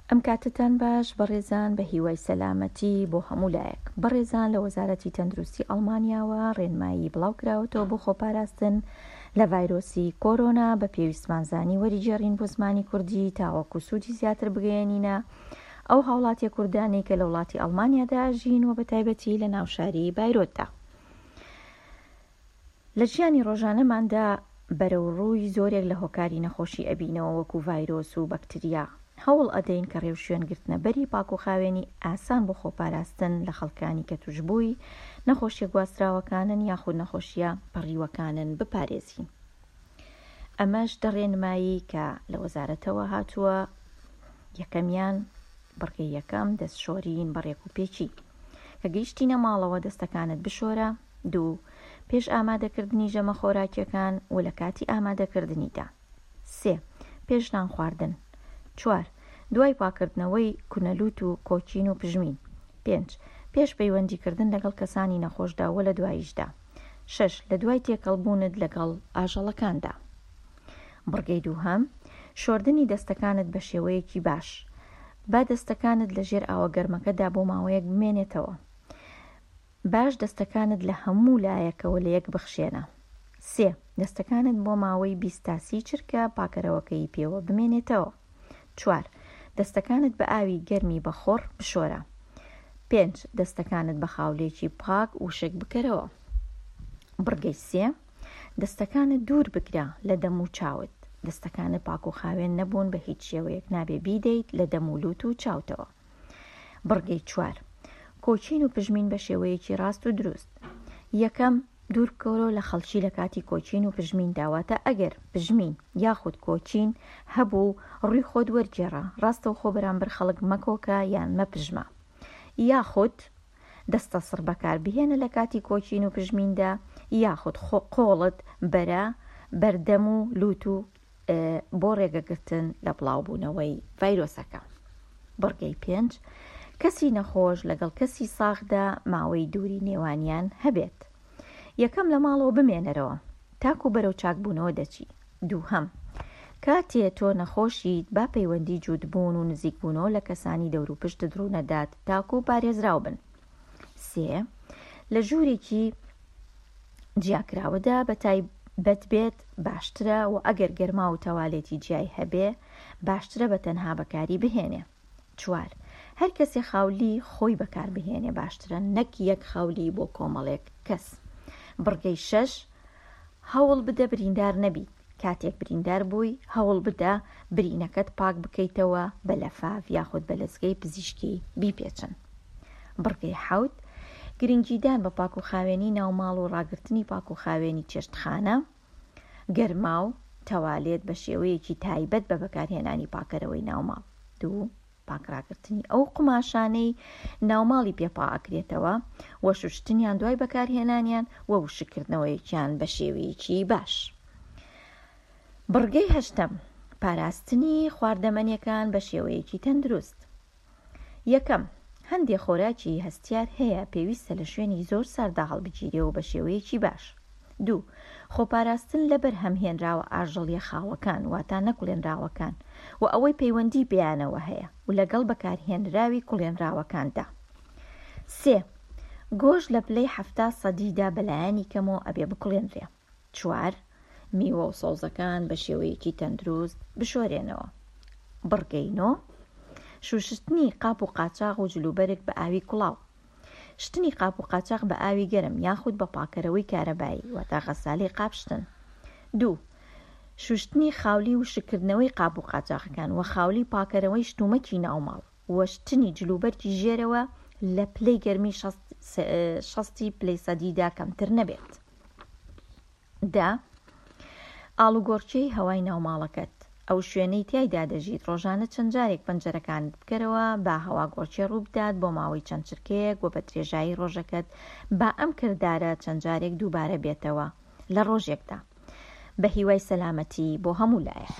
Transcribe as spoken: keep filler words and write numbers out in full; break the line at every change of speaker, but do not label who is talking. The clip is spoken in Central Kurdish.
ئەم کاتەتان باش بەڕێزان، بە هیوای سەلامەتی بۆ هەموو لایەک. بەڕێزان لە وەزارەتی تەندروستی ئەڵمانیاوە ڕێنمایی بڵاو کراوەتەوە بۆ خۆپاراستن لە ڤایرۆسی کۆرۆنا، بە پێویستمان زانی وەریگێڕین بۆ زمانی کوردی تاوەکو سوودی زیاتر بگەیەنینە ئەو هاوڵاتیە کوردانەی کە لە وڵاتی ئەڵمانیادا ئەژین و بە تایبەتی لە ناو شاری بایرۆتدا. لە ژیانی ڕۆژانەماندا بەرەو ڕووی زۆرێک لە هۆکاری نەخۆشی ئەبینەوە وەکو ڤایرۆس و بەکتریا، هەوڵ ئەدەین کە ڕێوشوێن گرتنە بەری پاک و خاوێنی ئاسان بۆ خۆپاراستن لە خەڵکانی کە توشبووی نەخۆشیە گواستراوەکانن یاخود نەخۆشیە پەڕیوەکانن بپارێزین. ئەمەش دە ڕێنمایی کە لە وەزارەتەوە هاتووە. یەکەمیان، بڕگەی یەکەم، دەست شۆرین بە ڕێک و پێکی. کە گەیشتینە ماڵەوە دەستەکانت بشۆرە. دوو، پێش ئامادەکردنی ژەمە خۆراکیەکان و لە کاتی ئامادەکردنیدا. سێ، پێش نان خواردن. چوار، دوای پاکردنەوەی کونەلوت و کۆکین و پژمین. پێنج، پێش پەیوەندیکردن لەگەڵ کەسانی نەخۆشدا و لە دواییشدا. شەش، لە دوای تێکەڵبوونت لەگەڵ ئاژەڵەکاندا. بڕگەی دووهەم، شۆردنی دەستەکانت بە شێوەیەکی باش. با دەستەکانت لە ژێر ئاوە گەرمەکەدا بۆ ماوەیەک بمێنێتەوە. باش دەستەکانت لە هەموو لایەکەوە لە یەک بخشێنە. سێ، دەستەکانت بۆ ماوەی بیست تا سی چرکە پاکەرەوەکەی پێوە بمێنێتەوە. چوار، دەستەکانت بە ئاوی گەرمی بەخۆڕ بشۆرە. پێنج، دەستەکانت بە خاولێکی پاک وشک بکەرەوە. بڕگەی سێ، دەستەکانت دوور بگرە لە دەم و چاوت. دەستەکانت پاک و خاوێن نەبوون بە هیچ شێوەیەک نابێ بیدەیت لە دەم و لوت و چاوتەوە. بڕگەی چوار، کۆچین و پژمین بە شێوەیەکی ڕاست و دروست. یەکەم، دوور بکەوەرەوە لە خەڵکی لە کاتی کۆچین و پژمیندا، واتە ئەگەر پژمین یاخود کۆچین هەبوو ڕووی خۆت وەرگێڕە، ڕاستەوخۆ بەرامبەر خەڵک مەکۆکە یان مەپژمە، یاخود دەستەسڕ بەکار بهێنە لە کاتی کۆچین و پژمیندا، یاخود قۆڵت بەرە بەردەم و لوت و بۆ ڕێگەگرتن لە بڵاوبوونەوەی ڤایرۆسەکە. بڕگەی پێنج، کەسی نەخۆش لەگەڵ کەسی ساغدا ماوەی دووری نێوانیان هەبێت. یەکەم، لە ماڵەوە بمێنەرەوە تاکو بەرەو چاکبوونەوە دەچی. دووهەم، کاتێ تۆ نەخۆشیت با پەیوەندی جووتبوون و نزیکبوونەوە لە کەسانی دەوروپشتت ڕوونەدات تاکو پارێزراو بن. سێ، لە ژوورێکی جیاکراوەدا بە تایبەت بێت باشترە و ئەگەر گەرما و تەوالێتی جیای هەبێ باشترە بە تەنها بەکاری بهێنێ. چوار، هەر کەسێ خاولی خۆی بەکار بهێنێ باشترە نەک یەک خاولی بۆ کۆمەڵێک کەس. بڕگەی شەش، هەوڵ بدە بریندار نەبیت. کاتێک بریندار بووی هەوڵ بدە برینەکەت پاک بکەیتەوە بە لەفاف یاخود بە لەزگەی پزیشکی بیپێچن. بڕگەی حەوت، گرنگیدان بە پاک و خاوێنی ناوماڵ و ڕاگرتنی پاک و خاوێنی چێشتخانە، گەرما و تەوالێت بە شێوەیەکی تایبەت بە بەکارهێنانی پاکەرەوەی ناوماڵ. دوو، پاکڕاگرتنی ئەو قوماشانەی ناوماڵی پێپا ئەکرێتەوە و شوشتنیان دوای بەکارهێنانیان و وشکردنەوەیەکیان بە شێوەیەکی باش. بڕگەی هەشتەم، پاراستنی خواردەمەنیەکان بە شێوەیەکی تەندروست. یەکەم، هەندێک خۆراکی هەستیار هەیە پێویستە لە شوێنی زۆر ساردا هەڵبگیرێ و بە شێوەیەکی باش. دوو، خۆپاراستن لە بەرهەمهێنراوە ئاژەڵیە خاوەکان، واتە نەکوڵێنراوەکان و ئەوەی پەیوەندی پێیانەوە هەیە و لەگەڵ بەکارهێنراوی کوڵێنراوەکاندا. سێ، گۆشت لە پلەی حەفتا سەدیدا بەلایەنی کەمەوە ئەبێ بکوڵێنرێ. چوار، میوە و سەوزەکان بە شێوەیەکی تەندروست بشۆرێنەوە. بڕگەی نۆ، شوشتنی قاپ و قاچاغ و جلوبەرگ بە ئاوی کوڵاو. شتنی قاپ و قاچاغ بە ئاوی گەرم یاخود بە پاکەرەوەی کارەبایی، واتە غەسالەی قاپشتن. دوو، شوشتنی خاولی و شکردنەوەی قاپ و قاچاغەکان و خاولی پاکەرەوەی شتومەکی ناوماڵ و شتنی جلوبەرگی ژێرەوە لە پلەی گەرمی شەستی پلەی سەدیدا کەمتر نەبێت. دە، ئاڵوگۆڕکێی هەوای ناوماڵەکەت، ئەو شوێنەی تیایدا دەژیت ڕۆژانە چەند جارێک پەنجەرەکانت بکەرەوە با هەواگۆڕکێ ڕووبدات بۆ ماوەی چەند چرکەیەک و بە درێژایی ڕۆژەکەت با ئەم کردارە چەند جارێک دووبارە بێتەوە لە ڕۆژێکدا. بە هیوای سەلامەتی بۆ هەموو لایەک.